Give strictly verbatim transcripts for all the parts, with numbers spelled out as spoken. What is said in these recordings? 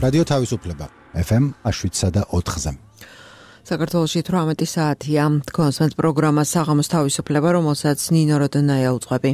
რადიო თავისუფლება ეფ ემ შვიდსა და ოთხზე. საქართველოში თვრამეტი საათია. კონსვენთ პროგრამა საღამოს თავისუფლება, რომელსაც ნინო როდონაია უძღვები.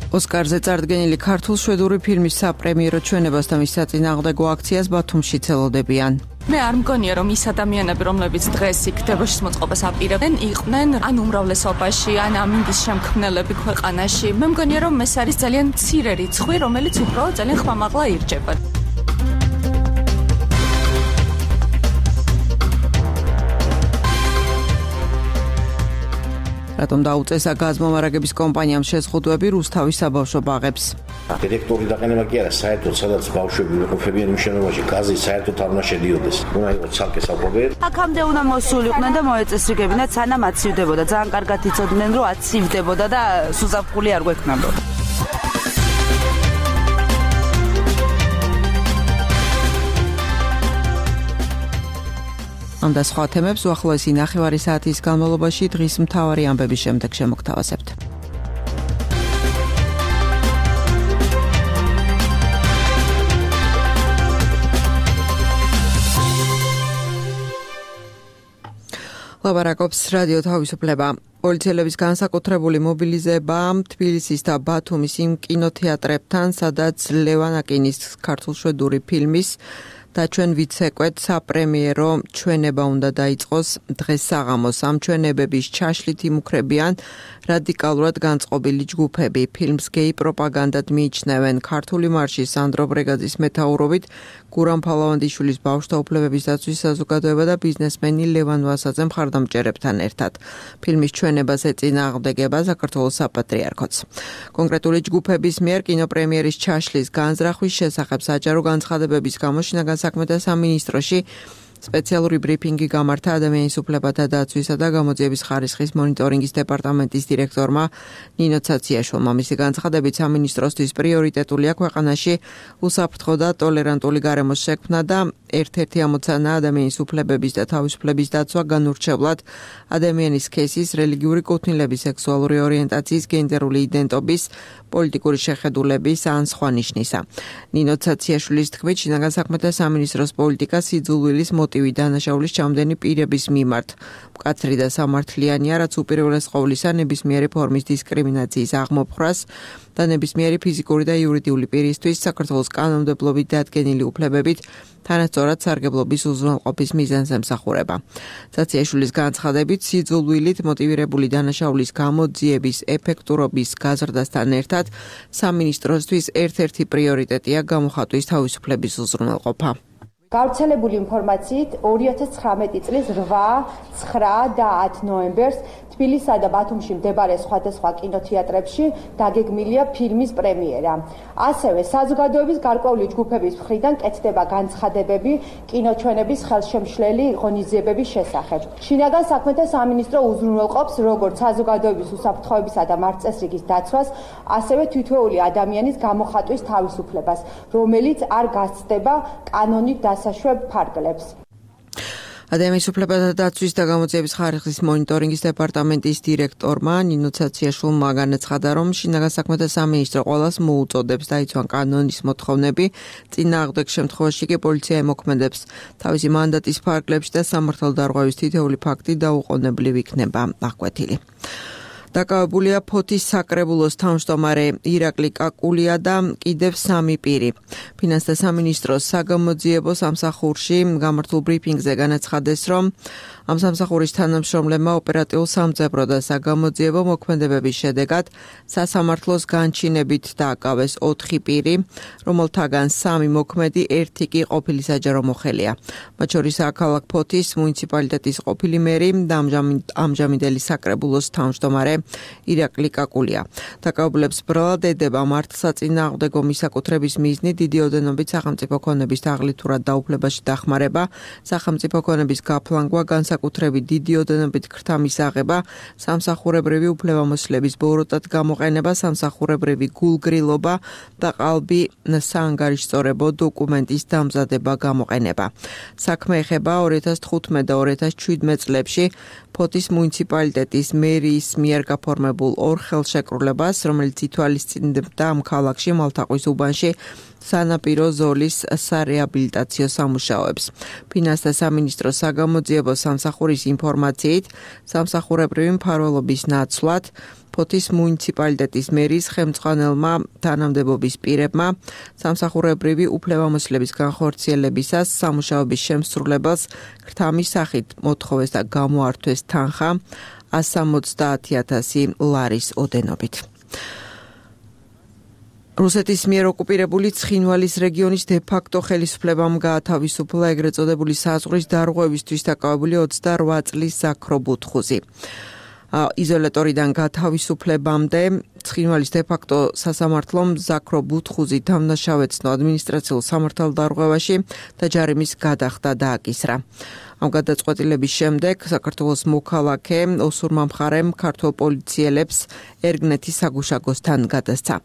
ოსკარზე წარდგენილი ქართულ-შვედური ფილმის საპრემიერო ჩვენებას და მის საწინააღმდეგო აქციას ბათუმში ცელოდებიან. მე არ მგონია რომ ის ადამიანები რომლებიც დღეს იქ დებოშის მოწყობას აპირებენ იყვნენ ან უმრავლესობაში ან ამინდის შემქმნელები ქვეყანაში. მე მგონია რომ ეს არის ძალიან მცირე რიცხვი რომელიც უბრალოდ ძალიან ხმამაღლა ირჩება. რატომ დაუწესა გაზმომარაგების კომპანიამ შეზღუდვები რუსთავის საბავშვო ბაღებს? დირექტორი დაყენება კი არა, საერთოდ სადაც ბავშვები ვიყოფებიან იმ შენობაში გაზი საერთოდ არ უნდა შედიოდეს. უნდა იყოს ცალკე საკვები. აქამდე უნდა მოსულიყვნენ და მოეწესრიგებინათ, სანამ აცივდებოდა. ძალიან კარგად იცოდნენ, რომ აცივდებოდა და სუზაფხული არ გვექნებოდა. ამ და სხვა თემებს უახლოესი ნახევარი საათის განმავლობაში დღის მთავარი ამბების შემდეგ შემოგთავაზებთ. ლაბარაკობს რადიო თავისუფლება. პოლიციელების განსაკუთრებული მობილიზება თბილისის და ბათუმის იმ კინოთეატრებთან, სადაც ლევან აკინის ქართულ-შვედური ფილმის და ჩვენ ვიცეკვეთ საპრემიერო ჩვენება უნდა დაიწყოს დღეს საღამოს. ამ ჩვენებების ჩაშლით იმუქრებიან რადიკალურად განწყობილი ჯგუფები. ფილმს გეი პროპაგანდად მიიჩნევენ. ქართული მარში სანდრო ბრეგაძის მეთაურობით გურამ ფალავანდიშვილის ბავშვთა უფლებების დაცვის საზოგადოება და ბიზნესმენი ლევან ვასაძე მხარდამჭერებთან ერთად. ფილმის ჩვენებას ეწინააღმდეგება საქართველოს საპატრიარქოც. კონკრეტული ჯგუფების მიერ კინოპრემიერის ჩაშლის განზრახვის შესახებ საჯარო განცხადებების გამო შინაგან საქმეთა სამინისტროში სპეციალური ბრიფინგი გამართა ადამიანის უფლებათა დაცვისა და გამოძიების ხარისხის მონიტორინგის დეპარტამენტის დირექტორმა ნინო ცაციაშვილმა. მისი განცხადებით სამინისტროსთვის პრიორიტეტულია ქვეყანაში უსაფრთხო და ტოლერანტული გარემოს შექმნა და ერთ-ერთი ამოცანა ადამიანის უფლებების და თავისუფლების დაცვა განურჩევლად ადამიანის სქესის, რელიგიური კუთვნილების, სექსუალური ორიენტაციის, გენდერული იდენტობის, პოლიტიკური შეხედულების ან სხვა ნიშნისა. ნინო ცაციაშვილის თქმით, შინაგან საქმეთა სამინისტროს პოლიტიკა სიძულვილის მოტივი დანაშაულის ჩამდენი პირების მიმართ მკაცრი და სამართლიანია, რაც უპირველეს ყოვლისა ნებისმიერი ფორმის დისკრიმინაციის აღმოფხვრას და ნებისმიერი ფიზიკური და იურიდიული პირისთვის საქართველოს კანონმდებლობით დადგენილი უფლებებით თანასწორად სარგებლობის უზრუნველყოფის მიზანს ემსახურება. ცაციაშვილის განცხადებით, სიძულვილით მოტივირებული დანაშაულის გამოძიების ეფექტურობის გაზრდასთან ერთად სამინისტროსთვის ერთ-ერთი პრიორიტეტია გამოხატვის თავისუფლების უზრუნველყოფა. გავრცელებული ინფორმაციით ორი ათას ცხრამეტი წლის რვა, ცხრა და ათ ნოემბერს თბილისსა და ბათუმში მდებარე სხვადასხვა კინოთეატრებში დაგეგმილია ფილმის პრემიერა. ასევე საზოგადოების გარკვეული ჯგუფების მხრიდან კეთდება განცხადებები კინოჩვენების ხელშემშლელი ღონისძიებების შესახებ. შინაგან საქმეთა სამინისტრო უზრუნველყოფს როგორც საზოგადოების უსაფრთხოებისა და მარწესრიგის დაცვას, ასევე თითოეული ადამიანის გამოხატვის თავისუფლებას, რომელიც არ გასცდება კანონით დასაშვებ ფარგლებს. ადამიანის უფლებათა დაცვის და გამოძიების ხარისხის მონიტორინგის დეპარტამენტის დირექტორმა ნინო ცაციაშვილმა განაცხადა, რომ შინაგან საქმეთა სამინისტრო ყველას მოუწოდებს დაიცვან კანონის მოთხოვნები, წინააღმდეგ შემთხვევაში კი პოლიცია ემოქმედებს თავისი მანდატის ფარგლებში და სამართალდარღვევის თითოეული ფაქტი დაუყოვნებლივ იქნება აღკვეთილი. დაკავებულია ფოთის საკრებულოს თავმჯდომარე ირაკლი კაკულია და კიდევ სამი პირი. ფინანსთა სამინისტროს საგამოძიებო სამსახურში გამართულ ბრიფინგზე განაცხადეს, რომ ამ სამსახურის თანამშრომლებმა ოპერატიულ სამძებრო და საგამოძიებო მოქმედებების შედეგად სასამართლოს განჩინებით დააკავეს ოთხი პირი, რომელთაგან სამი მოქმედი, ერთი კი ყოფილი საჯარო მოხელია. მათ შორისაა ქალაქ ფოთის მუნიციპალიტეტის ყოფილი მერი და ამჟამინდელი საკრებულოს თავმჯდომარე ირაკლი კაკულია. დაკავებულებს ბრალად ედება მართლსაწინააღმდეგო მისაკუთრების მიზნით დიდი ოდენობით სახელმწიფო ქონების თაღლითურად დაუფლებაში დახმარება, სახელმწიფო ქონების გაფლანგვა, განსაკუთრებით განსაკუთრებით დიდი ოდენობით ქრთა მისაღება, სამსახურებრივი უფლებამოსილების ბოროტად გამოყენება, სამსახურებრივი გულგრილობა და ყალბი საანგარიშწორებო დოკუმენტის დამზადება გამოყენება. საქმე ეხება ორი ათას თხუთმეტ და ორი ათას შვიდმეტ წლებში ფოთის მუნიციპალიტეტის მერიის მიერ გაფორმებულ ორ ხელშეკრულებას, რომელიც ითვალისწინებდა ამ ქალაქში მალთაყვის უბანში სანაპირო ზოლის სარეაბილიტაციო სამუშაოებს. ფინანსთა სამინისტროს საგამოძიებო სამსახურის ინფორმაციით, სამსახურებრივი მფარველობის ნაცვლად ფოთის მუნიციპალიტეტის მერის ხელმძღვანელმა თანამდებობის პირებმა სამსახურებრივი უფლებამოსილების განხორციელებისას სამუშაოების შემსრულებელს ქრთამის სახით მოთხოვეს და გამოართვეს თანხა ას სამოცდაათი ათასი ლარის ოდენობით. რუსეთის მიერ ოკუპირებული ცხინვალის რეგიონის დე-ფაქტო ხელისუფლებამ გაათავისუფლა ეგრეთ წოდებული საზღვრის დარღვევისთვის დაკავებული ოცდაორი წლის ზაქრო ბუთხუზი. იზოლატორიდან გათავისუფლებამდე ცხინვალის დე-ფაქტო სასამართლომ ზაქრო ბუთხუზი დამნაშავეცნო ადმინისტრაციულ სამართალდარღვევაში და ჯარიმის გადახდა დააკისრა. ამ გადაწყვეტილების შემდეგ საქართველოს მოქალაქე ოსურმა მხარემ ქართულ პოლიციელებს ერგნეთის საგუშაგოსთან გადასცა.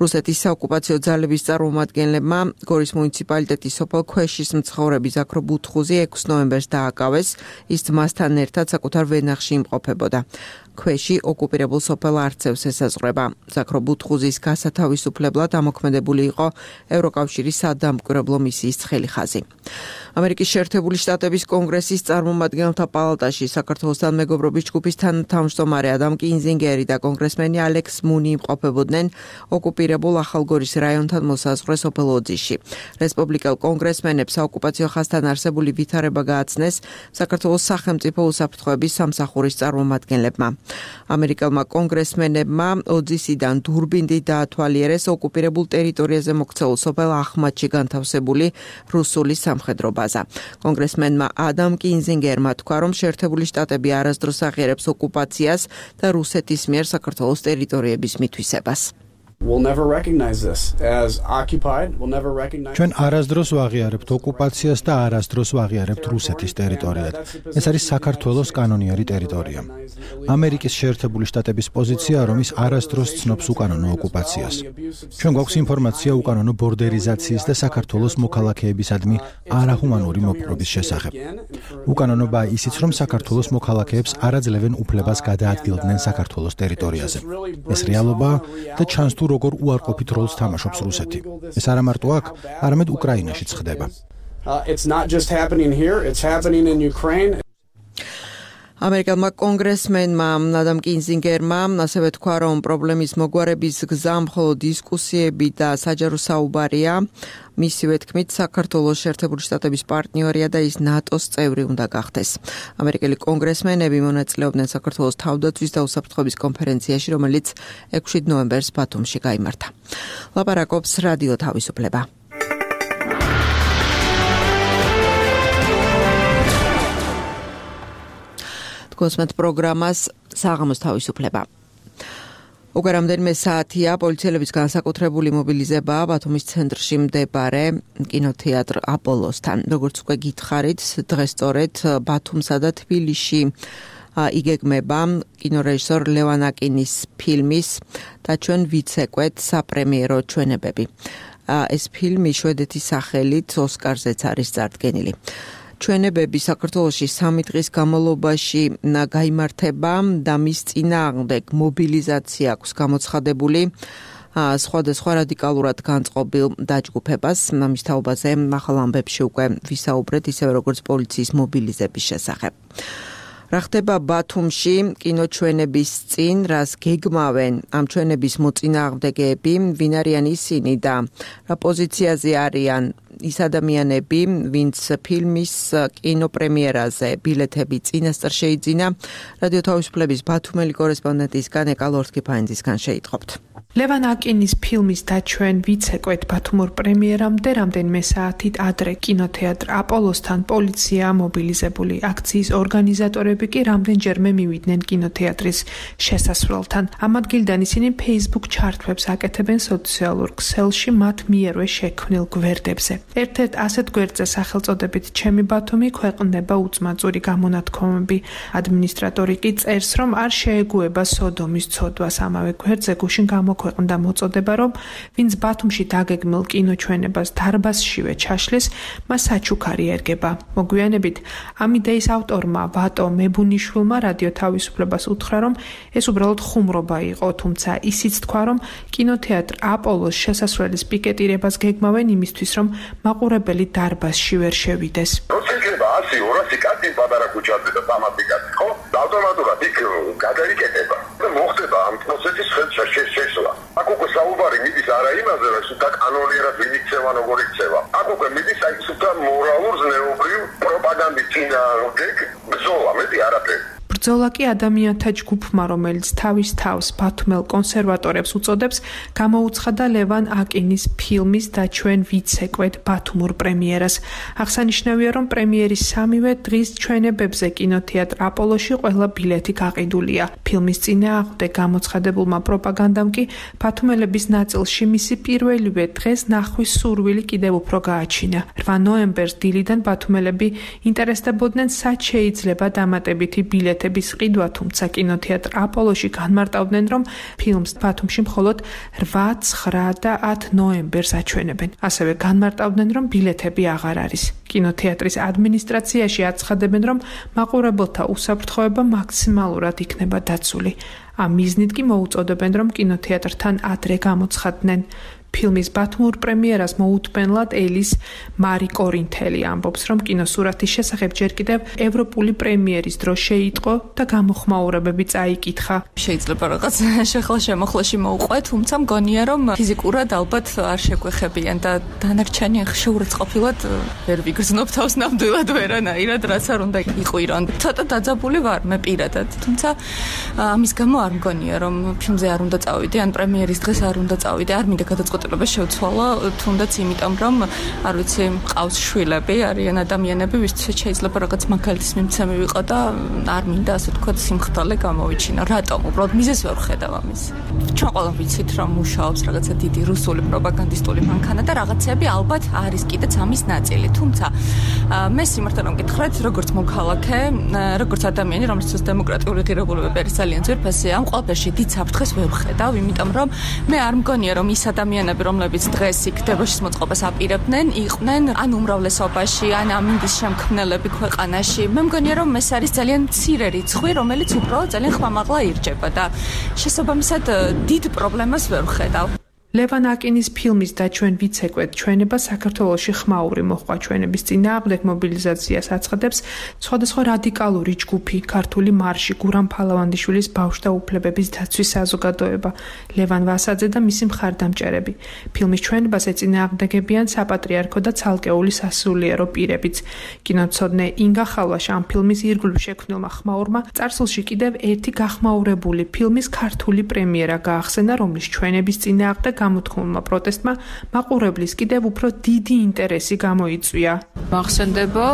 რუსეთის საოკუპაციო ძალების წარმომადგენლებმა გორის მუნიციპალიტეტის სოფელ ქვეშის მცხოვრები ზაქრო ბუთხუზი ექვსი ნოემბერს დააკავეს, ის ძმასთან ერთად საკუთარ ვენახში იმყოფებოდა. ქვეში ოკუპირებულ სოფელ არცევს ესაზღვრება. ზაქრო ბუთხუზის გასათავისუფლებლად ამოქმედებული იყო ევროკავშირის სადამკვირვებლო მისიის ცხელი ხაზი. ამერიკის შეერთებული შტატების კონგრესის წარმომადგენელთა პალატაში საქართველოსთან მეგობრობის ჯგუფის თანათავმჯდომარე ადამ კინზინგერი და კონგრესმენი ალექს მუნი იმყოფებოდნენ ოკუპირებულ ახალგორის რაიონთან მოსაზღვრე სოფელ ოძიში. რესპუბლიკელ კონგრესმენებს საოკუპაციო ხაზთან არსებული ვითარება გააცნეს საქართველოს სახელმწიფო უსაფრთხოების სამსახურის წარმომადგენლებმა. ამერიკელმა კონგრესმენებმა ოძისიდან დურბინდით დაათვალიერეს ოკუპირებულ ტერიტორიაზე მოქცეულ სოფელ ახმადში განთავსებული რუსული სამხედრო ბაზა. კონგრესმენმა ადამ კინზინგერმა თქვა, რომ შეერთებული შტატები არასდროს აღიარებს ოკუპაციას და რუსეთის მიერ საქართველოს ტერიტორიების მითვისებას. We'll never recognize this as occupied. We'll never recognize. ჩვენ არასდროს ვაღიარებთ ოკუპაციას და არასდროს ვაღიარებთ რუსეთის ტერიტორიად. ეს არის საქართველოს კანონიერი ტერიტორია. ამერიკის შეერთებული შტატების პოზიცია, რომ ის არასდროს ცნობს უკანონო ოკუპაციას. ჩვენ გვაქვს ინფორმაცია უკანონო ბორდერიზაციის და საქართველოს მოქალაქეებისადმი არაჰუმანური მოპყრობის შესახებ. უკანონობა ისიც, რომ საქართველოს მოქალაქეებს არ აძლევენ უფლებას გადაადგილდნენ საქართველოს ტერიტორიაზე. ეს რეალობაა და ჩანს თუ როგორ უარყოფით როლს თამაშობს რუსეთი. ეს არა მარტო აქ, არამედ უკრაინაშიც ხდება. It's not just happening here, it's happening in Ukraine. ამერიკელმა კონგრესმენმა ადამ კინზინგერმა ასევე თქვა, რომ პრობლემის მოგვარების გზა მხოლოდ დისკუსიები და საჯარო საუბარია. მისივე თქმით, საქართველოს შეერთებული შტატების პარტნიორია და ის ნატოს წევრი უნდა გახდეს. ამერიკელი კონგრესმენები მონაწილეობდნენ საქართველოს თავდაცვის და უსაფრთხოების კონფერენციაში, რომელიც ექვსი ნოემბერს ბათუმში გაიმართა. ლაპარაკობს რადიო თავისუფლება. გოსმეთ პროგრამას საღამოს თავისუფლება. უკვე რამდენიმე საათია პოლიციელების განსაკუთრებული მობილიზება ბათუმის ცენტრში მდებარე კინოთეატრ აპოლოსთან. როგორც უკვე გითხარით, დღეს სწორედ ბათუმსა და თბილისში იგეგმება კინორეჟისორ ლევან აკინის ფილმის და ჩვენ ვიცეკვეთ საპრემიერო ჩვენებები. ეს ფილმი შვედეთის სახელით ოსკარზეც არის წარდგენილი. ჩვენებები საქართველოში სამი დღის განმავლობაში გაიმართება და მის წინააღმდეგ მობილიზაცია აქვს გამოცხადებული სხვადასხვა რადიკალურად განწყობილ დაჯგუფებას. მის თაობაზე ახალ ამბებში უკვე ვისაუბრეთ, ისევე როგორც პოლიციის მობილიზების შესახებ. რა ხდება ბათუმში კინოჩვენების წინ, რას გეგმავენ ამ ჩვენების მოწინააღმდეგეები, ვინ არიან ისინი და რა პოზიციაზე არიან ის ადამიანები, ვინც ფილმის კინოპრემიერაზე ბილეთები წინასწარ შეიძინა. რადიო თავისუფლების ბათუმელი კორესპონდენტისგან ეკა ლორთქიფაინძისგან შეიტყობთ. ლევან აკინის ფილმის დაჩვენ ვიცეკვეთ ბათუმურ პრემიერამდე რამდენიმე საათით ადრე კინოთეატრ აპოლოსთან პოლიცია მობილიზებული. აქციის ორგანიზატორები კი რამდენჯერმე მივიდნენ კინოთეატრის შესასვლელთან. ამ ადგილიდან ისინი Facebook ჩარტვებს აკეთებენ სოციალურ ქსელში მათ მიერვე შექმნილ გვერდებზე. ერთ-ერთ ასეთ გვერდზე სახელწოდებით ჩემი ბათუმი ქვეყნდება უწმაწური გამონათქვამები. ადმინისტრატორი კი წერს, რომ არ შეეგუება სოდომის ცოდვას. ამავე გვერდზე გუშინ გამოქვეყნდა და მოწოდება, რომ ვინც ბათუმში დაგეგმილ კინოჩვენებას დარბაზშივე ჩაშლის, მას საჩუქარი ერგება. მოგვიანებით ამ იდეის ავტორმა ვატო მებუნიშვილმა რადიო თავისუფლებას უთხრა, რომ ეს უბრალოდ ხუმრობა იყო, თუმცა ისიც თქვა, რომ კინოთეატრ აპოლოს შესასვლელის პიკეტირებას გეგმავენ იმისთვის, რომ მაყურებელი დარბაზში ვერ შევიდეს. შეიძლება ასი ორასი კაცი პატარა ქუჩაზე და სამასი კაცი, ხო? ავტომატურად იქ გადაიკეტება. და მოხდება ამ პროცესის შესაძლებლობა. აქ უკვე საუბარი მიდის არა იმაზე, რომ სულ კანონიერად ვინიქცევა, როგორ იქცევა. აქ უკვე მიდის აი სულ მორალურ ზნეობრივ პროპაგანდის წინააღმდეგ ბრძოლა, მეტი არაფერი. ბრძოლა კი ადამიანთა ჯგუფმა, რომელიც თავის თავს ბათუმელ კონსერვატორებს უწოდებს, გამოუცხადა ლევან აკინის ფილმის დაჩვენ ვიცეკვეთ ბათუმურ პრემიერას. აღსანიშნავია, რომ პრემიერის სამივე დღის ჩვენებებზე კინოთეატრ აპოლოში ყველა ბილეთი გაყიდულია. ფილმის წინააღმდეგ გამოცხადებულმა პროპაგანდამ კი ბათუმელების ნაწილში მისი პირველივე დღეს ნახვის სურვილი კიდევ უფრო გააჩინა. რვა ნოემბერს დილიდან ბათუმელები ინტერესდებოდნენ, სად შეიძლება დამატებითი ბილეთი ყიდვა, თუმცა კინოთეატრ აპოლოში განმარტავდნენ, რომ ფილმს ბათუმში მხოლოდ რვა, ცხრა და ათი ნოემბერს აჩვენებენ. ასევე განმარტავდნენ, რომ ბილეთები აღარ არის. კინოთეატრის ადმინისტრაციაში აცხადებენ, რომ მაყურებელთა უსაფრთხოება მაქსიმალურად იქნება დაცული. ამ მიზნით კი მოუწოდებენ, რომ კინოთეატრთან ადრე გამოცხადდნენ. ფილმის ბათუმურ პრემიერას მოუთმენლად ელის მარი კორინთელი ამბობს, რომ კინოსურათის შესახებ ჯერ კიდევ ევროპული პრემიერის დრო შეიტყო და გამოხმაურებები წაიკითხა. შეიძლება რაღაც შეხლა-შემოხლაში მოუყვე, თუმცა მგონია, რომ ფიზიკურად ალბათ არ შეგვეხებიან და დანარჩენი შეურაცხყოფილად ვერ ვიგრძნობ თავს ნამდვილად ვერანაირად, რაც არ უნდა იყვირონ. ცოტა დაძაბული ვარ მე პირადად, თუმცა ამის გამო არ მგონია, რომ ფილმზე არ უნდა წავიდე, ან პრემიერის დღეს არ უნდა წავიდე, არ მინდა გადაწყვეტილება შევცვალო, თუნდაც იმიტომ, რომ არ ვიცი, ყავს შვილები, არიან ადამიანები, ვისაც შეიძლება რაღაც მაგალითის მიმცემი ვიყო და არ მინდა ასე თქვათ სიმხდალე გამოვიჩინა. რატომ? უბრალოდ მიზეზს ვერ ხედავ ამის. ჩვენ ყველამ ვიცით, რომ მუშაობს რაღაცა დიდი რუსული პროპაგანდისტული მანქანა და რაღაცები ალბათ არის კიდეც ამის ნაწილი. თუმცა მე სიმართლე რომ გითხრათ, როგორც მოქალაქე, როგორც ადამიანი, რომელსაც დემოკრატიული ღირებულებები არის ძალიან ძვირფასი, ამ ყველაფერში დიდ საფრთხეს ვერ ვხედავ, იმიტომ რომ მე არ მგონია, რომ ის ადამიანები, რომლებიც დღეს იქ დებოშის მოწყობას აპირებდნენ, იყვნენ ან უმრავლესობაში, ან ამინდის შემქმნელები ქვეყანაში. მე მგონია, რომ ეს არის ძალიან მცირე რიცხვი, რომელიც უბრალოდ ძალიან ხმამაღლა ირჯება და შესაბამისად დიდ პრობლემას ვერ ვხედავ. ლევან აკინის ფილმის დაჩვენ ვიცეკვეთ ჩვენება საქართველოში ხმაური მოჰყვა ჩვენების წინააღმდეგ მობილიზაციას აცხადებს სხვადასხვა რადიკალური ჯგუფი, ქართული მარში, გურამ ფალავანდიშვილის ბავშვთა უფლებების დაცვის საზოგადოება, ლევან ვასაძე და მისი მხარდამჭერები. ფილმის ჩვენებას ეწინააღმდეგებიან საპატრიარქო და ცალკეული სასულიერო პირებიც. კინოცოდნე ინგა ხალვაშა ამ ფილმის ირგვლივ შექმნილმა ხმაურმა წარსულში კიდევ ერთი გახმაურებული ფილმის ქართული პრემიერა გაახსენა, რომლის ჩვენების წინააღმდეგ გამოთქმულმა პროტესტმა მაყურებლის კიდევ უფრო დიდი ინტერესი გამოიწვია. მახსენდება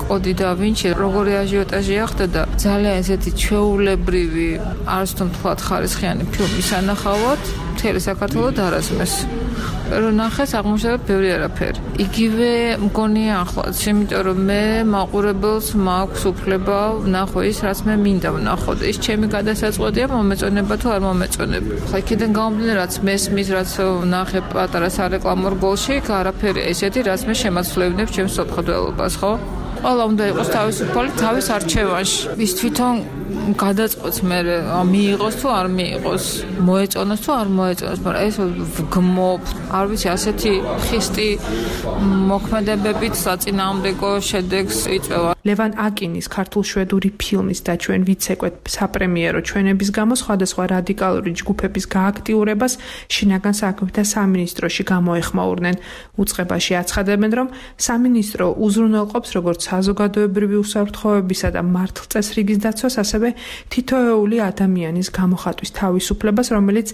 კოდი და ვინჩი როგორი აჟიოტაჟი ახდოდა ძალიან ესეთი ჩვეულებრივი არც თუ თქვათ ხარისხიანი ფილმის ანახავად მთელი საქართველო დარაზმეს. რომ ნახეს აღმოჩნდა ბევრი არაფერი. იგივე მგონია ახლაც, იმიტომ რომ მე მაყურებელს მაქვს უფლება ვნახო ის, რაც მე მინდა ვნახო და ის ჩემი გადასაწყვეტია მომეწონება თუ არ მომეწონება. ხა იქიდან გამომდინარე, რაც მესმის, რაც ვნახე პატარა სარეკლამო რგოლში, არაფერი ესეთი, რაც მე შემაცვლევინებ ჩემს სოფხდელობას, ხო? ყველა უნდა იყოს თავისუფალი თავის არჩევანში. ის თვითონ გადაწყვეტს მე მიიღოს თუ არ მიიღოს, მოეწონოს თუ არ მოეწონოს, მაგრამ ეს ვგმობ, არ ვიცი, ასეთი ხისტი მოქმედებებით საწინააღმდეგო შედეგს იწვევა. ლევან აკინის ქართულ-შვედური ფილმის დაჩვენ ვიცეკვეთ საპრემიერო ჩვენების გამო სხვადასხვა რადიკალური ჯგუფების გააქტიურებას შინაგან საქმეთა სამინისტროში გამოეხმაურნენ. უწყებაში აცხადებენ, რომ სამინისტრო უზრუნველყოფს როგორც საზოგადოებრივი უსაფრთხოებისა და მართლწესრიგის დაცვას, ასევე თითოეული ადამიანის გამოხატვის თავისუფლებას, რომელიც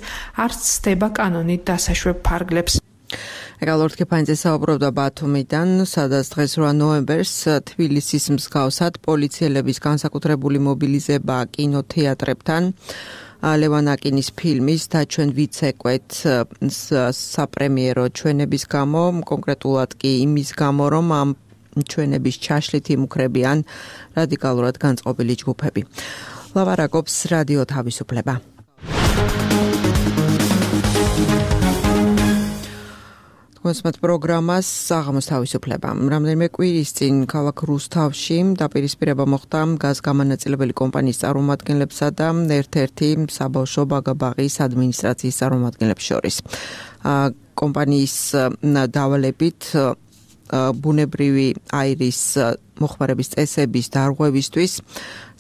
არც ცდება კანონით დასაშვებ ფარგლებს. Egalord Kepanidzes საუბრობდა ბათუმიდან, სადაც დღეს რვა ნოემბერს თბილისის მსგავსად პოლიციელების განსაკუთრებული მობილიზება კინოთეატრებთან ლევან აკინის ფილმის დაჩვენ ვიცეკვეთ საპრემიერო ჩვენების გამო, კონკრეტულად კი იმის გამო, რომ ამ ჩვენების ჩაშლით იმუქრებიან რადიკალურად განწყობილი ჯგუფები. ლავარაკობს რადიო თავისუფლება. მოსმოთ პროგრამას საღამოს თავისუფლება. რამდენიმე კვირის წინ ქალაქ რუსთავში დაპირისპირება მოხდა გაზგამანაწილებელი კომპანიის წარმომადგენლებსა და ერთ-ერთი საბავშვო ბაგაბაღის ადმინისტრაციის წარმომადგენლებს შორის. კომპანიის დავალებით ბუნებრივი აირის მოხმარების წესების დარღვევისთვის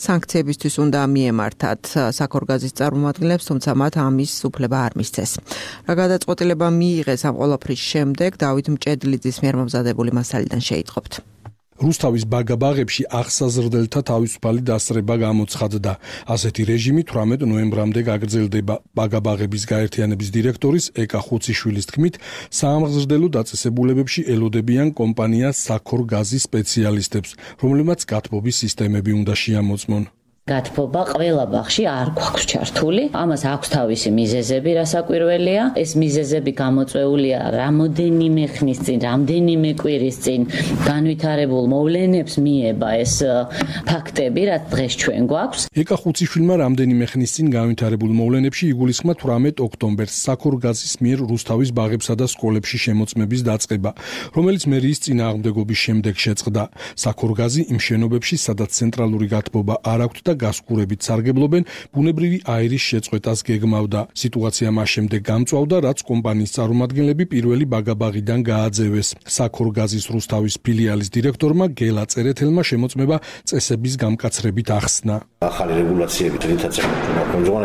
სანქციებისთვის უნდა მიემართათ საქორგაზის წარმომადგენლებს, თუმცა მათ ამის უფლება არ მისცეს. რა გადაწყვეტილება მიიღეს ამ ყველაფრის შემდეგ, დავით მჭედლიძის მიერ მომზადებული მასალიდან შეიტყობთ. რუსთავის ბაგაბაღებში აღსაზრდელთა თავისუფალი დასწრება გამოცხადდა. ასეთი რეჟიმი თვრამეტ ნოემბრამდე გაგრძელდება. ბაგაბაღების გაერთიანების დირექტორის ეკა ხუციშვილის თქმით, საამღზრდელო დაწესებულებებში ელოდებიან კომპანია საქორგაზის სპეციალისტებს, რომლებმაც გათბობის სისტემები უნდა შეამოწმონ. გათბობა ყველა ბაღში არ გვაქვს ჩართული. ამას აქვს თავისი მიზეზები, რასაკვირველია. ეს მიზეზები გამოწვეულია რამოდენიმე ხნის წინ, რამდენიმე კვირის წინ განვითარებულ მოვლენებს მიება ეს ფაქტები, რაც დღეს ჩვენ გვაქვს. ეკა ხუციშვილმა რამდენიმე ხნის წინ განვითარებულ მოვლენებში იგულისხმა თვრამეტ ოქტომბერს საქორგაზის მიერ რუსთავის ბაღებსა და სკოლებში შემოწმების დაწყება, რომელიც მერიის წინააღმდეგობის შემდეგ შეწყდა. საქორგაზი იმ შენობებში, სადაც ცენტრალური გათბობა არ აქვთ და გასკურებით სარგებლობენ, ბუნებრივი აირის შეწყვეტას გეგმავდა. სიტუაცია მას შემდეგ გამწვავდა, რაც კომპანიის წარმომადგენლები პირველი ბაგაბაღიდან გააძევეს. საქორგაზის რუსთავის ფილიალის დირექტორმა გელა წერეთელმა შემოწმება წესების გამკაცრებით ახსნა. ახალი რეგულაციებით რითაც ეკონომიკურ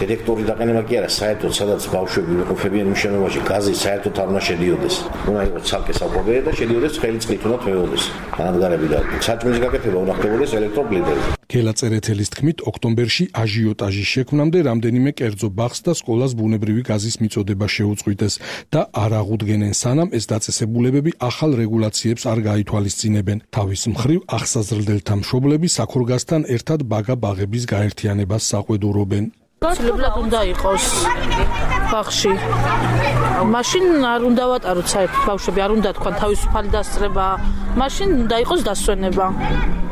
დირექტორი დაყენება კი არა, საერთოდ სადაც ბავშვები იმყოფებიან იმ შენობაში, გაზი საერთოდ არ უნდა შედიოდეს. უნდა იყოს ცალკე საკვები და შედიოდეს ცხელი წყლით უნდა თვეოდეს. განადგარები და საჭმლის გაკეთება უნდა ხდებოდეს ელექტროპლიტებით. გელა წერეთელის თქმით, ოქტომბერში აჟიოტაჟის შექმნამდე რამდენიმე კერძო ბაღს და სკოლას ბუნებრივი გაზის მიწოდება შეუწყვიტეს და არ აღუდგენენ, სანამ ეს დაწესებულებები ახალ რეგულაციებს არ გაითვალისწინებენ. თავის მხრივ აღსაზრდელთა მშობლები საქორგაზთან ერთად ბაგაბაღების გაერთიანებას საყვედურობენ. გაცილებლად უნდა იყოს ბაღში. მაშინ არ უნდა ვატაროთ საერთოდ ბავშვები, არ უნდა თქვა თავისუფალი დასწრება, მაშინ უნდა იყოს დასვენება.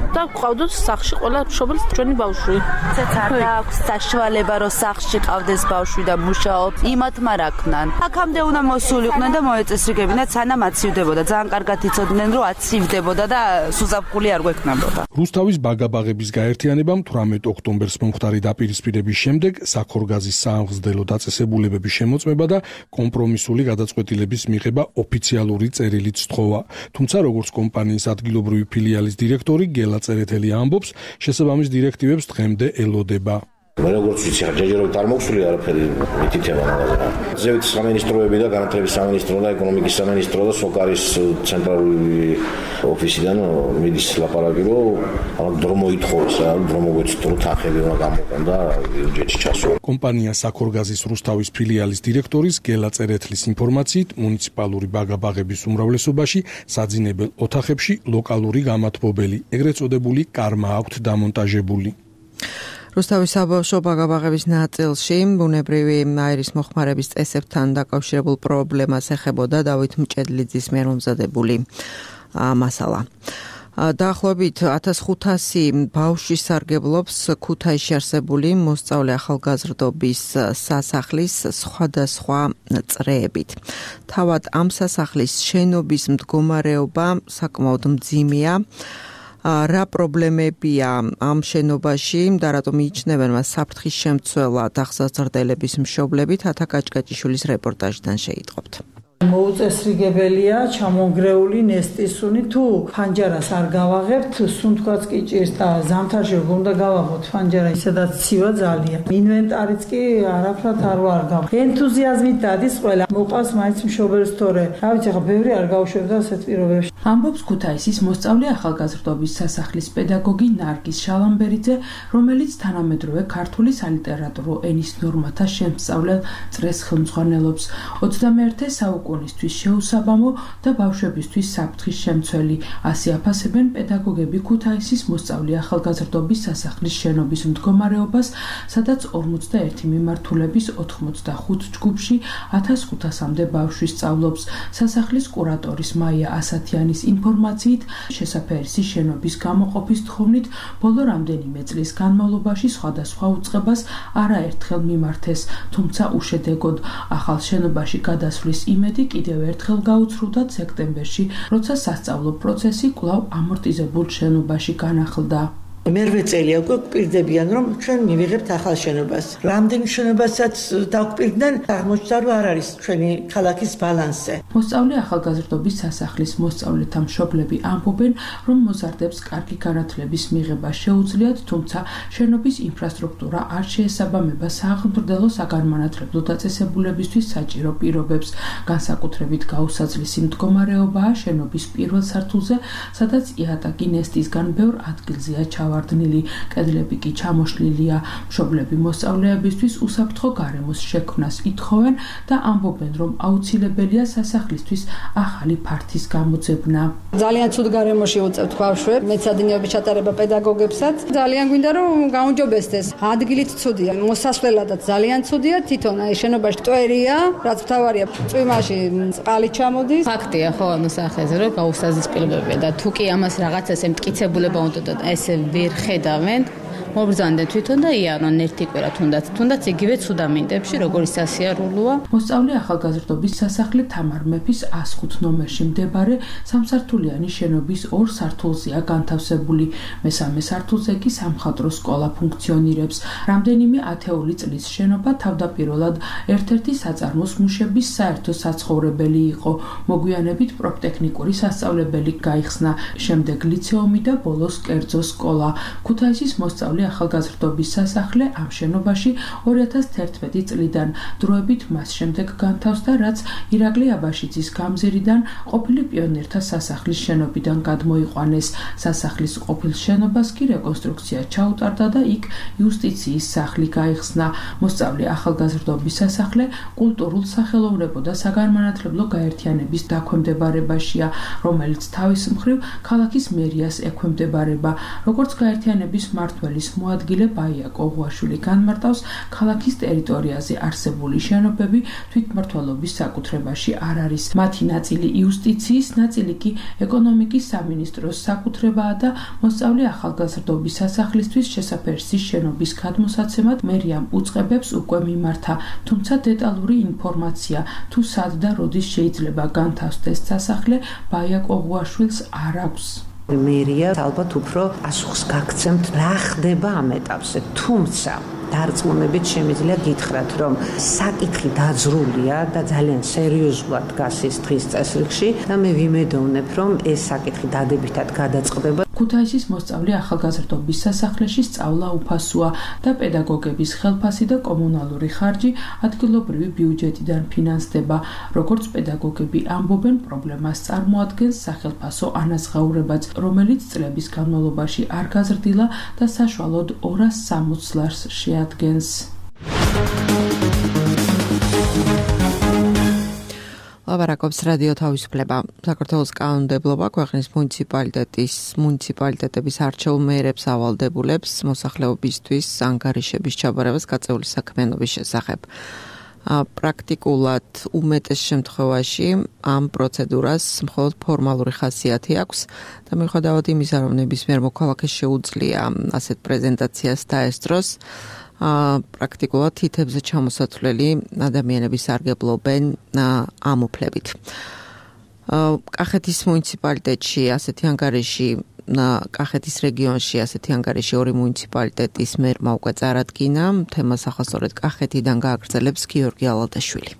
და ყავდოთ სახში ყველა მშობელს ჩვენი ბავშვი. ცეცხლ აქვს საშუალება რომ სახში ყავდეს ბავშვი და მუშაობს, იმათ მარაკნან. აქამდე უნდა მოსულიყვნენ და მოეწესრიგებინათ, სანამ აცივდებოდა. ძალიან კარგად იცოდნენ რომ აცივდებოდა და სუზაფხული არ გვექნებოდა. რუსთავის ბაგაბაღების გაერთიანებამ თვრამეტ ოქტომბერს მომხდარი დაპირისპირების შემდეგ საქორგაზის საამღზრდელო დაწესებულებების შემოწმება და კომპრომისული გადაწყვეტილების მიღება ოფიციალური წერილით სთხოვა. თუმცა როგორც კომპანიის ადგილობრივი ფილიალის დირექტორი გელა წერეთელი ამბობს, შესაბამის დირექტივებს დღემდე ელოდება. მე როგორც ვიცი, ჯერჯერობით არ მოხსული არაფერი მითითება მაგაზე. ზევით სამინისტროები და განათლების სამინისტრო და ეკონომიკის სამინისტრო და სოკარის ცენტრალური ოფისიდან მიდის ლაპარაკი, რომ ამ დრო მოითხოვეს, რა დრო მოგვეცით, რომ თანხები უნდა გამოყენ და ბიუჯეტში ჩასვა. კომპანია საქორგაზის რუსთავის ფილიალის დირექტორის გელა წერეთლის ინფორმაციით, მუნიციპალური ბაგაბაღების უმრავლესობაში საძინებელ ოთახებში ლოკალური გამათბობელი, ეგრეთ წოდებული კარმა აქვთ დამონტაჟებული. რუსთავის საბავშვო ბაგაბაღების ნაწილში ბუნებრივი აირის მოხმარების წესებთან დაკავშირებულ პრობლემას ეხებოდა დავით მჭედლიძის მიერ მომზადებული მასალა. დაახლოებით ათას ხუთასი ბავშვი სარგებლობს ქუთაისში არსებული მოსწავლე ახალგაზრდობის სასახლის სხვადასხვა წრეებით. თავად ამ სასახლის შენობის მდგომარეობა საკმაოდ მძიმეა. რა პრობლემებია ამ შენობაში და რატომ მიიჩნევენ მას საფრთხის შემცველად ახსაზრდელების მშობლები, თათა კაჭკაჭიშვილის რეპორტაჟიდან შეიტყობთ. მოუწესრიგებელია ჩამონგრეული ნესტისუნი თუ ფანჯარას არ გავაღებთ სუნთქვაც კი ჭირს და ზამთარში უნდა გავაღოთ ფანჯარა ისედაც ცივა ძალიან ინვენტარიც კი არაფრად არ ვარ გავ ენთუზიაზმით დადის ყველა მოყავს მაინც მშობელს თორე რა ვიცი ხა ბევრი არ გავუშვებდა ასეთ პირობებში ამბობს ქუთაისის მოსწავლე ახალგაზრდობის სასახლის პედაგოგი ნარგიზ შალამბერიძე რომელიც თანამედროვე ქართული სალიტერატურო ენის ნორმათა შემსწავლელ წრეს ხელმძღვანელობს ოცდამეერთე საუკუნისთვის შეუსაბამო და ბავშვებისთვის საფრთხის შემცველი ასე აფასებენ პედაგოგები ქუთაისის მოსწავლე ახალგაზრდობის სასახლის შენობის მდგომარეობას სადაც ორმოცდაერთი მიმართულების ოთხმოცდახუთ ჯგუფში ათას ხუთასამდე ბავშვი სწავლობს სასახლის კურატორის მაია ასათიანის ინფორმაციით შესაფერისი შენობის გამოყოფის თხოვნით ბოლო რამდენიმე წლის განმავლობაში სხვადასხვა უწყებას არაერთხელ მიმართეს თუმცა უშედეგოდ ახალ შენობაში გადასვლის იმედი კიდევ ერთხელ გაუცრუდა სექტემბერში როცა სასწავლო პროცესი კვლავ ამორტიზებულ შენობაში განახლდა მერვე წელია უკვე გვპირდებიან რომ ჩვენ მივიღებთ ახალ შენობას. რამდენ შენობასაც დაგვპირდნენ აღმოჩნდა რომ არ არის ჩვენი ქალაქის ბალანსზე. მოსწავლე ახალგაზრდობის სასახლის მოსწავლეთა მშობლები ამბობენ რომ მოზარდებს კარგი განათლების მიღება შეუძლიათ თუმცა შენობის ინფრასტრუქტურა არ შეესაბამება სააღმრდელო საგანმანათლებლო დაწესებულებისთვის საჭირო პირობებს. განსაკუთრებით გაუსაძლისი მდგომარეობაა შენობის პირველ სართულზე სადაც იატაკი ნესტისგან ბევრ ადგილზეა ჩავარდნილი. კედლები კი ჩამოშლილია. მშობლები მოსწავლეებისთვის უსაფრთხო გარემოს შექმნას ითხოვენ და ამბობენ, რომ აუცილებელია სასახლისთვის ახალი ფართის გამოძებნა. ძალიან ცუდ გარემოში უწევთ ბავშვებს, მეცადინეობის ჩატარება პედაგოგებსაც. ძალიან გვინდა რომ გაუნჯობესდეს. ადგილით ცუდია, მოსასვლელადაც ძალიან ცუდია, თვითონ აი შენობაში ტვერია, რაც მთავარია, წვიმაში წყალი ჩამოდის. ფაქტია ხო ამ სახეზე, რომ გაუსაზის პირობებია და თუ კი ამას რაღაცას ემტკიცებულება უნდა და ესე ვერ ხედავენ მობრძანდნენ თვითონ და იარონ ერთი კვირა თუნდაც თუნდაც იგივე ცუდამინდებში როგორი სასიარულოა მოსწავლე ახალგაზრდობის სასახლე თამარ მეფის ას ხუთ ნომერში მდებარე სამსართულიანი შენობის ორ სართულზეა განთავსებული მესამე სართულზე კი სამხატვრო სკოლა ფუნქციონირებს რამდენიმე ათეული წლის შენობა თავდაპირველად ერთ-ერთი საწარმოს მუშების საერთო საცხოვრებელი იყო მოგვიანებით პროფტექნიკური სასწავლებელი გაიხსნა შემდეგ ლიცეუმი და ბოლოს კერძო სკოლა ქუთაისის მოსწავლე ახალგაზრდობის სასახლე ამ შენობაში ორი ათას თერთმეტი წლიდან დროებით მას შემდეგ განთავსდა რაც ირაკლი აბაშიძის გამზირიდან ყოფილი პიონერთა სასახლის შენობიდან გადმოიყვანეს სასახლის ყოფილ შენობას კი რეკონსტრუქცია ჩაუტარდა და იქ იუსტიციის სახლი გაიხსნა მოსწავლე ახალგაზრდობის სასახლე კულტურულ სახელოვნებო და საგანმანათლებლო გაერთიანების დაქვემდებარებაშია რომელიც თავის მხრივ ქალაქის მერიას ექვემდებარება როგორც გაერთიანების მმართველის მოადგილე ბაია კოღუაშვილი განმარტავს ქალაქის ტერიტორიაზე არსებული შენობები თვითმმართველობის საკუთრებაში არ არის მათი ნაწილი იუსტიციის ნაწილი კი ეკონომიკის სამინისტროს საკუთრებაა და მოსწავლე ახალგაზრდობის სასახლისთვის შესაფერისი შენობის გადმოსაცემად მერიამ უწყებებს უკვე მიმართა თუმცა დეტალური ინფორმაცია თუ სად და როდის შეიძლება განთავსდეს სასახლე ბაია კოღუაშვილს არ აქვს მერია ალბათ უფრო პასუხს გაგცემთ რა ხდება ამ ეტაპზე თუმცა დარწმუნებით შემიძლია გითხრათ რომ საკითხი დაძრულია და ძალიან სერიოზულად დგას ის დღის წესრიგში და მე ვიმედოვნებ რომ ეს საკითხი დადებითად გადაწყდება ქუთაისის მოსწავლე ახალგაზრდობის სასახლეში სწავლა უფასოა და პედაგოგების ხელფასი და კომუნალური ხარჯი ადგილობრივი ბიუჯეტიდან ფინანსდება როგორც პედაგოგები ამბობენ პრობლემას წარმოადგენს სახელფასო ანაზღაურებაც რომელიც წლების განმავლობაში არ გაზრდილა და საშუალოდ ორას სამოცდ ლარს შეადგენს ლაბარაკობს რადიო თავისუფლება საქართველოს კანონმდებლობა ქვეყნის მუნიციპალიტეტის მუნიციპალიტეტების არჩეულ მეერებს ავალდებულებს მოსახლეობისთვის ანგარიშების ჩაბარებას გაწეული საქმიანობის შესახებ პრაქტიკულად უმეტეს შემთხვევაში ამ პროცედურას მხოლოდ ფორმალური ხასიათი აქვს და მიუხედავად იმისა რომ ნებისმიერ მოქალაქეს შეუძლია ასეთ პრეზენტაციას დაესწროს პრაქტიკულად თითებზე ჩამოსათვლელი ადამიანები სარგებლობენ ამ უფლებით. კახეთის მუნიციპალიტეტში ასეთი ანგარიში კახეთის რეგიონში ასეთი ანგარიში ორი მუნიციპალიტეტის მერმა უკვე წარადგინა თემას ახასწორედ კახეთიდან გააგრძელებს გიორგი ალალტაშვილი.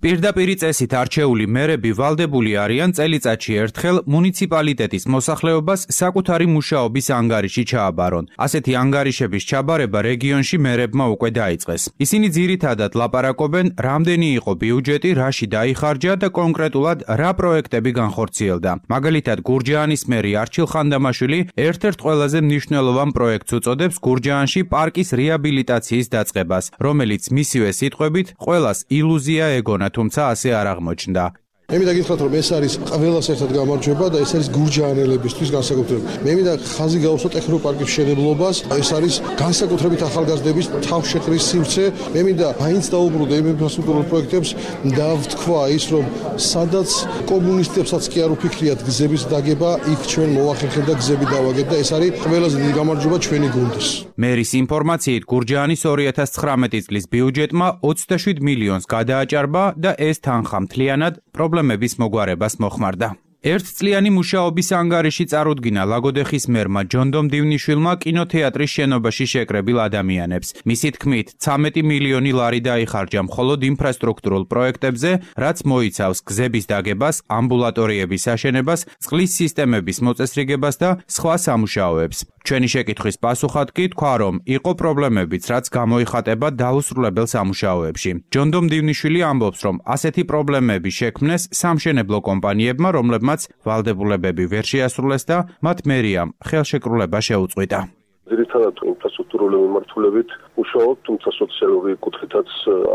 პირდაპირი წესით არჩეული მერები ვალდებული არიან წელიწადში ერთხელ მუნიციპალიტეტის მოსახლეობას საკუთარი მუშაობის ანგარიში ჩააბარონ. ასეთი ანგარიშების ჩაბარება რეგიონში მერებმა უკვე დაიწყეს. ისინი ძირითადად ლაპარაკობენ, რამდენი იყო ბიუჯეტი, რაში დაიხარჯა და კონკრეტულად რა პროექტები განხორციელდა. მაგალითად, გურჯაანის მერი არჩილ ხანდამაშვილი ერთ-ერთ ყველაზე მნიშვნელოვან პროექტს უწოდებს გურჯაანში პარკის რეაბილიტაციის დაწყებას, რომელიც მისივე სიტყვებით ყველას ილუზია ეგონა, თუმცა ასე არ აღმოჩნდა. მე მინდა გითხრათ, რომ ეს არის ყველას ერთად გამარჯვება და ეს არის გურჯაანელებისთვის განსაკუთრებით. მე მინდა ხაზი გაუსვა ტექნოპარკის მშენებლობას, ეს არის განსაკუთრებით ახალგაზრდების თავშეყრის სივრცე. მე მინდა მაინც დაუბრუნდე იმ ინფრასტრუქტურულ პროექტებს და ვთქვა ის, რომ სადაც კომუნისტებსაც კი არ უფიქრიათ გზების დაგება, იქ ჩვენ მოვახერხეთ და გზები დავაგეთ და ეს არის ყველაზე დიდი გამარჯვება ჩვენი გუნდის. მერის ინფორმაციით, გურჯაანის ორი ათას ცხრამეტი წლის ბიუჯეტმა ოცდაშვიდ მილიონს გადააჭარბა და ეს თანხა მთლიანად პრობლემების მოგვარებას მოხმარდა. ერთწლიანი მუშაობის ანგარიში წარუდგინა ლაგოდეხის მერმა ჯონდომ დივნიშვილმა კინოთეატრის შენობაში შეკრებილ ადამიანებს. მისი თქმით, ცამეტი მილიონი ლარი დაიხარჯა მხოლოდ ინფრასტრუქტურულ პროექტებზე, რაც მოიცავს გზების დაგებას, ამბულატორიების აშენებას, წყლის სისტემების მოწესრიგებას და სხვა სამუშაოებს. ჩვენი შეკითხვის პასუხად კი თქვა, რომ იყო პრობლემებიც, რაც გამოიხატება დაუსრულებელ სამუშაოებში. ჯონდომ დივნიშვილი ამბობს, რომ ასეთი პრობლემები შექმნეს სამშენებლო კომპანიებმა, რომლებმაც ვალდებულებები ვერ შეასრულეს და მათ მერიამ ხელშეკრულება შეუწყვიტა. ძირითადად ინფრასტრუქტურული მიმართულებით მუშაობ, თუმცა სოციალური კუთხითაც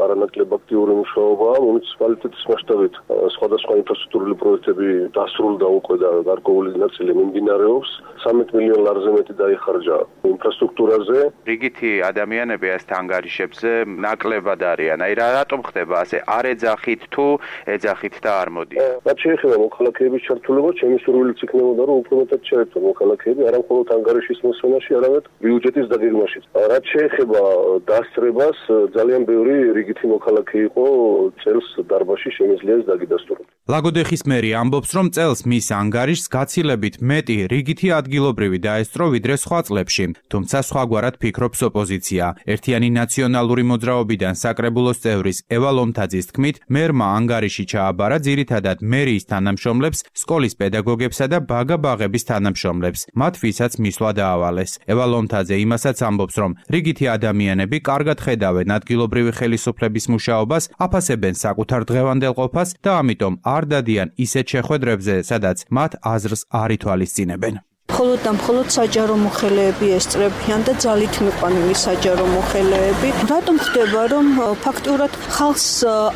არანაკლებ აქტიური მუშაობაა. მუნიციპალიტეტის მასშტაბით სხვადასხვა ინფრასტრუქტურული პროექტები დასრულდა უკვე და გარკვეული ნაწილი მიმდინარეობს. ცამეტ მილიონ ლარზე მეტი დაიხარჯა ინფრასტრუქტურაზე. რიგითი ადამიანები ეს ანგარიშებზე ნაკლებად არიან. აი რა რატომ ხდება ასე? არ ეძახით თუ ეძახით და არ მოდიან? რაც შეეხება მოქალაქეების ჩართულობა, ჩემი სურვილიც იქნებოდა, რომ უფრო მეტად ჩაერთონ მოქალაქეები, არა მხოლოდ ანგარიშის მოსვენაში, არამედ ბიუჯეტის დაგეგმაში. რაც შეეხება დასწრებას, ძალიან ბევრი რიგითი მოქალაქე იყო წელს დარბაზში შემიძლია ეს დაგიდასტუროს. ლაგოდეხის მერი ამბობს, რომ წელს მის ანგარიშს გაცილებით მეტი რიგითი ადგილობრივი დაესწრო ვიდრე სხვა წლებში, თუმცა სხვაგვარად ფიქრობს ოპოზიცია. ერთიანი ნაციონალური მოძრაობიდან საკრებულოს წევრის ევა ლომთაძის თქმით, მერმა ანგარიში ჩააბარა ძირითადად მერიის თანამშრომლებს, სკოლის პედაგოგებსა და ბაგა-ბაღების თანამშრომლებს, მათ ვისაც მისვლა დაავალეს. ევა ლომთაძე იმასაც ამბობს, რომ რიგითი ადამიანები კარგად ხედავენ ადგილობრივი ხელისუფლების მუშაობას, აფასებენ საკუთარ დღევანდელ ყოფას და ამიტომ არ დადიან ისეთ შეხვედრებზე, სადაც მათ აზრს არ ითვალისწინებენ. მხოლოდ და მხოლოდ საჯარო მოხელეები ესწრებიან და ძალით მიყვანილი საჯარო მოხელეები. რატომ ხდება, რომ ფაქტურად ხალხს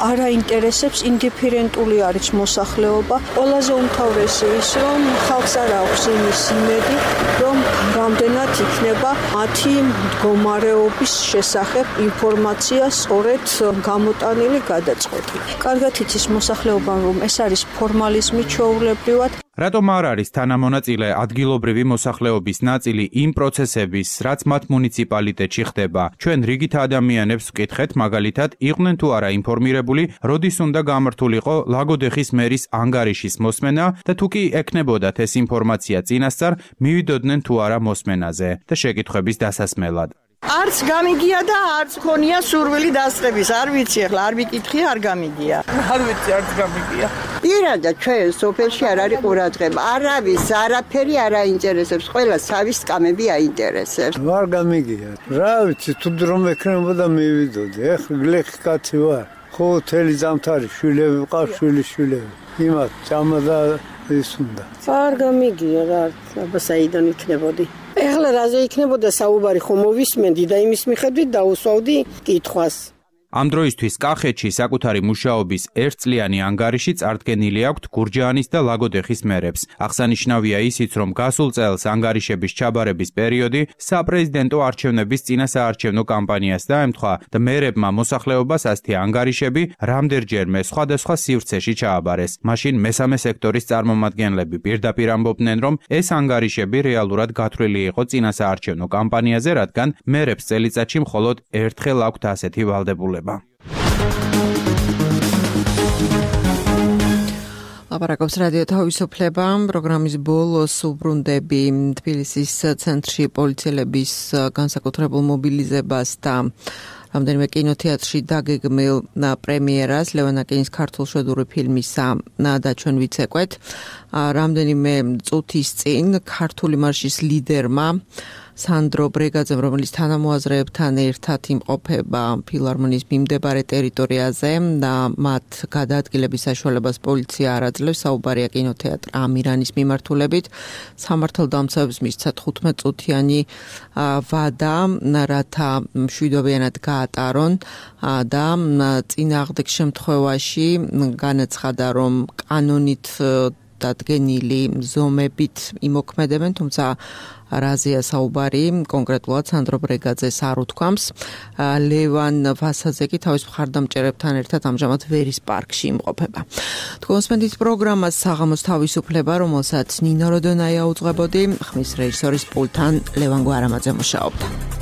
არ აინტერესებს ინდიფერენტული არის მოსახლეობა? ყველაზე უმთავრესი ის, რომ ხალხს არ აქვს იმის იმედი, რომ რამდენად იქნება მათი მდგომარეობის შესახებ ინფორმაცია სწორედ გამოტანილი, გადაწყვეტილი. კარგად იცის მოსახლეობა, რომ ეს არის ფორმალიზმი ჩვეულებრივად. რატომ არ არის თანამონაწილე ადგილობრივი მოსახლეობის ნაწილი იმ პროცესების, რაც მათ მუნიციპალიტეტში ხდება? ჩვენ რიგით ადამიანებს ვკითხეთ, მაგალითად, იყვნენ თუ არა ინფორმირებული, როდის უნდა გამართულიყო ლაგოდეხის მერის ანგარიშის მოსმენა და თუ კი ექნებოდათ ეს ინფორმაცია წინასწარ, მივიდოდნენ თუ არა მოსმენაზე და შეკითხვების დასასმელად. არც გამიგია და არც ქონია სურვილი დასწრების, არ ვიცი ახლა, არ ვიკითხე, არ გამიგია. არ ვიცი, არც გამიგია. პირადად ჩვენ სოფელში არ არის ყურადღება, არავის არაფერი არ აინტერესებს, ყველა სავის სკამები აინტერესებს. არ გამიგია. რა ვიცი, თუ რომ ექნებოდა მივიდოდი, ეხლა გლეხი კაცი ვარ. ხო, თელი ზამთარი შვილები ვყავს, შვილი შვილები. იმათ ჭამა და ის უნდა. არ გამიგია რა, აბა საიდან იქნებოდი. ეხლა რაზე იქნებოდა საუბარი, ხომ მოვისმენდი და იმის მიხედვით დაუსვავდი კითხვას. ამ დროისთვის კახეთში საკუთარი მუშაობის ერთწლიანი ანგარიში წარდგენილი აქვთ გურჯაანის და ლაგოდეხის მერებს. აღსანიშნავია ისიც, რომ გასულ წელს ანგარიშების ჩაბარების პერიოდი საპრეზიდენტო არჩევნების წინასაარჩევნო კამპანიას დაემთხვა და მერებმა მოსახლეობას ასეთი ანგარიშები რამდენჯერმე სხვადასხვა სივრცეში ჩააბარეს. მაშინ მესამე სექტორის წარმომადგენლები პირდაპირ ამბობდნენ, რომ ეს ანგარიშები რეალურად გათვლილი იყო წინასაარჩევნო კამპანიაზე, რადგან მერებს წელიწადში მხოლოდ ერთხელ აქვთ ასეთი ვალდებულება. აპარაკობს რადიო თავისუფლება. პროგრამის ბოლოს უბრუნდები თბილისის ცენტრში პოლიციელების განსაკუთრებულ მობილიზებას და რამდენიმე კინოთეატრში დაგეგმილ პრემიერას ლევან აკინის ქართულშვედური ფილმისა და ჩვენ ვიცეკვეთ. რამდენიმე წუთის წინ ქართული მარშის ლიდერმა სანდრო ბრეგაძემ, რომელიც თანამოაზრეებთან ერთად იმყოფება ფილარმონიის მიმდებარე ტერიტორიაზე და მათ გადაადგილების საშუალებას პოლიცია არ აძლევს, საუბარია კინოთეატრ ამირანის მიმართულებით. სამართალდამცავებს მისცა თხუთმეტ წუთიანი ვადა, რათა მშვიდობიანად გაატარონ და წინააღმდეგ შემთხვევაში განაცხადა, რომ კანონით დადგენილი ზომებით იმოქმედებენ, თუმცა რაზეა საუბარი, კონკრეტულად სანდრო ბრეგაძეს არ უთქვამს. ლევან ვასაძე კი თავის მხარდამჭერებთან ერთად ამჟამად ვერის პარკში იმყოფება. თქვენსმენთ პროგრამას საღამოს თავისუფლება, რომელსაც ნინო როდონაია უძღვებოდი, ხმის რეჟისორის პულტთან ლევან გვარამაძე მუშაობდა.